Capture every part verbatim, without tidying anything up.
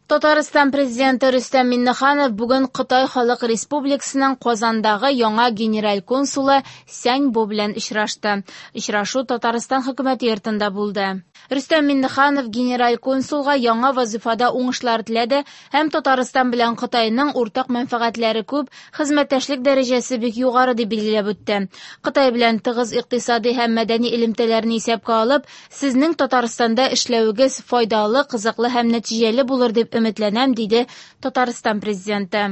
Татарстан президенты Рөстәм Миңнеханов бүген Кытай Халык Республикасының Казандагы яңа генераль консулы Сянь Бо белән очрашты. Очрашу Татарстан хөкүмәте йортында булды. Рөстәм Миңнеханов генераль консулга яңа вазифада уңышлар теләде һәм Татарстан белән Кытайның уртак мәнфәгатьләре күп, хезмәттәшлек дәрәҗәсе бик югары дип билгеләп үтте. Кытай белән тыгыз икътисади һәм мәдәни элемтәләрне исәпкә алып, сезнең Татарстанда эшләвегез файдалы, кызыклы һәм нәтиҗәле булыр дип өметләнәм, диде Татарстан президенты.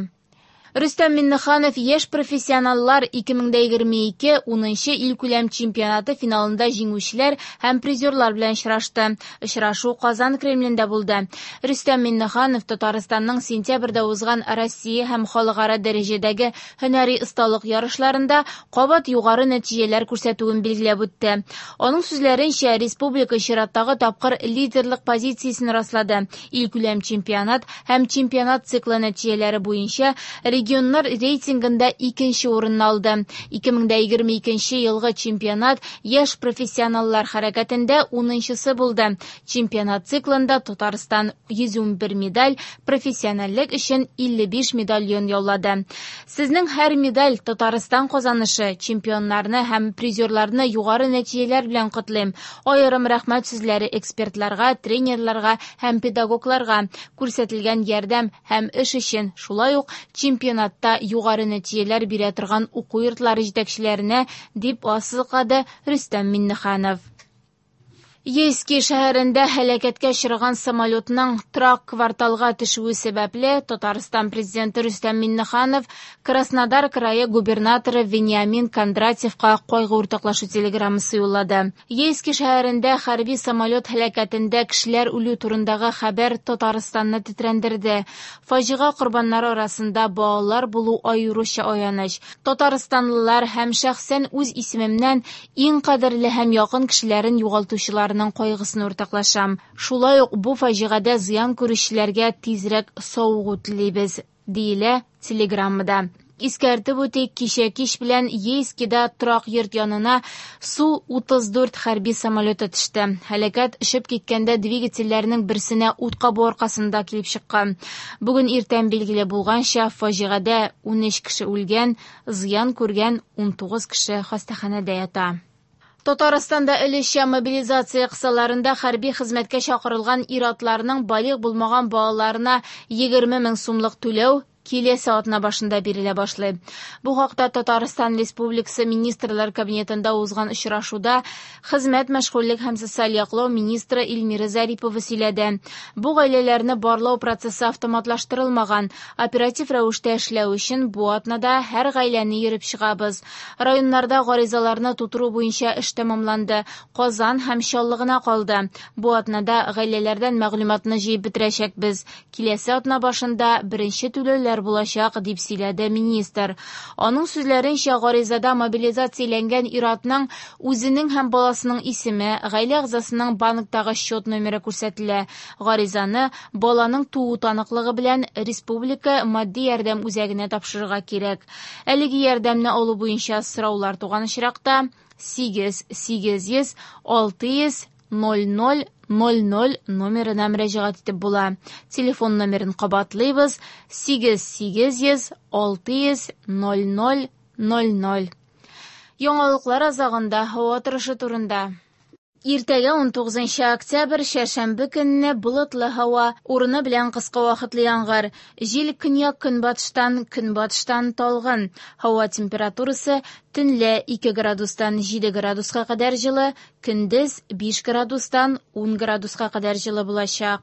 Рөстәм Миңнеханов яшь профессионаллар ике мең егерме ике унынчы илкүләм чемпионаты финалында җиңүчеләр һәм призерлар белән очрашты. Очрашу Казан Кремлендә булды. Рөстәм Миңнеханов Татарстанның сентябрьдә узган Россия һәм халыкара дәрәҗәдәге һөнәри осталык ярышларында кабат югары нәтиҗәләр күрсәтүен билгеләп үтте. Аның сүзләренчә, республика чираттагы тапкыр лидерлык позициясен раслады. Илкүләм чемпионат һәм чемпионат циклы нәтиҗәләре буенча регионнар рейтингында икенче урынны алды. Ике мең егерме икенче елгы чемпионат яшь профессионаллар хәрәкәтендә унынчысы булды. Чемпионат циклында Татарстан йөз ун бер медаль, профессиональлек өчен илле биш медальон яулады. Сезнең һәр медаль Татарстан казанышы, чемпионнарны һәм призерларны югары нәтиҗәләр белән котлыйм. Аерым рәхмәт сүзләре экспертларга, тренерларга һәм педагогларга күрсәтелгән ярдәм һәм эш өчен, шулай ук чемпионатта югары нәтиҗәләр бирә торган уку йортлары җитәкчеләренә, дип ассызыклады Рөстәм Миңнеханов. Ейски шәһәрендә һәлакәткә очраган самолетның торак кварталга төшүе сәбәпле Татарстан президенты Рөстәм Миңнеханов Краснодар крае губернаторы Вениамин Кондратьевка кайгы уртаклашу телеграммасы юллады. Ейски шәһәрендә хәрби самолет һәлакәтендә кешеләр үлү турындагы хәбәр Татарстанны тетрәндерде. Фаҗига корбаннары арасында балалар булу аеруча аяныч. Татарстанлылар һәм шәхсән үз исемемнән иң кадерле һәм якын кешеләрен югалтучылар кайгысын уртаклашам. Шулай ук бу фаҗигадә зыян күрүчеләргә тизрәк савыгу телибез, диелә телеграммада. Искәртеп үтик, кичә кич белән Ейскида торак йорт янына Су утыз дүрт хәрби самолеты төште. Һәлакәт очып киткәндә двигательләрнең берсенә ут кабу аркасында килеп чыккан. Бүген иртән билгеле булганча, фаҗигадә унөч кеше үлгән, зыян күргән унтугыз кеше хастаханәдә ята. Татарстанда өлешчә мобилизация кысаларында хәрби хезмәткә чакырылган ир-атларның балигъ булмаган балаларына егерме мең сумлык түләү киләсе атна башында бирелә башлый. Бу хакта Татарстан Республикасы Министрлар Кабинетында узган очрашуда хезмәт, мәшгульлек һәм социаль яклау министры Эльмира Зарипова сөйләде. Бу гаиләләрне барлау процессы автоматлаштырылмаган. Оператив рәвештә эшләү өчен бу атнада һәр гаиләне йөреп чыгабыз. Районнарда гаризаларны тутыру буенча эш тәмамланды. Казан һәм Чаллы гына калды. Бу атнада гаиләләрдән мәгълүматны җыеп бетерәчәкбез. Киләсе атна башында беренче түләүләр булачак, дип сөйләде министр. Аның сүзләренчә, гаризада мобилизацияләнгән ир-атның үзенең һәм баласының исеме, гаилә әгъзасының банктагы счет номеры күрсәтелә. Гаризаны баланың туу таныклыгы белән республика матди ярдәм үзәгенә тапшырырга кирәк. Әлеге ярдәмне алу буенча сораулар туган очракта сигез сигез йөз алты йөз ноль ноль ноль ноль номерына мөрәҗәгать итеп була. Телефон номерын кабатлыйбыз: сигез сигез йөз алты йөз ноль ноль ноль ноль. Яңалыклар азагында һава торышы турында. Иртәгә ун тугызынчы октябрь чәршәмбе көнне болытлы һава, урыны белән кыска вакытлы яңгыр. Җил көньяк-көнбатыштан, көнбатыштан талгын. Һава температурасы төнлә ике градустан җиде градуска кадәр җылы, көндез биш градустан ун градуска кадәр җылы булачак.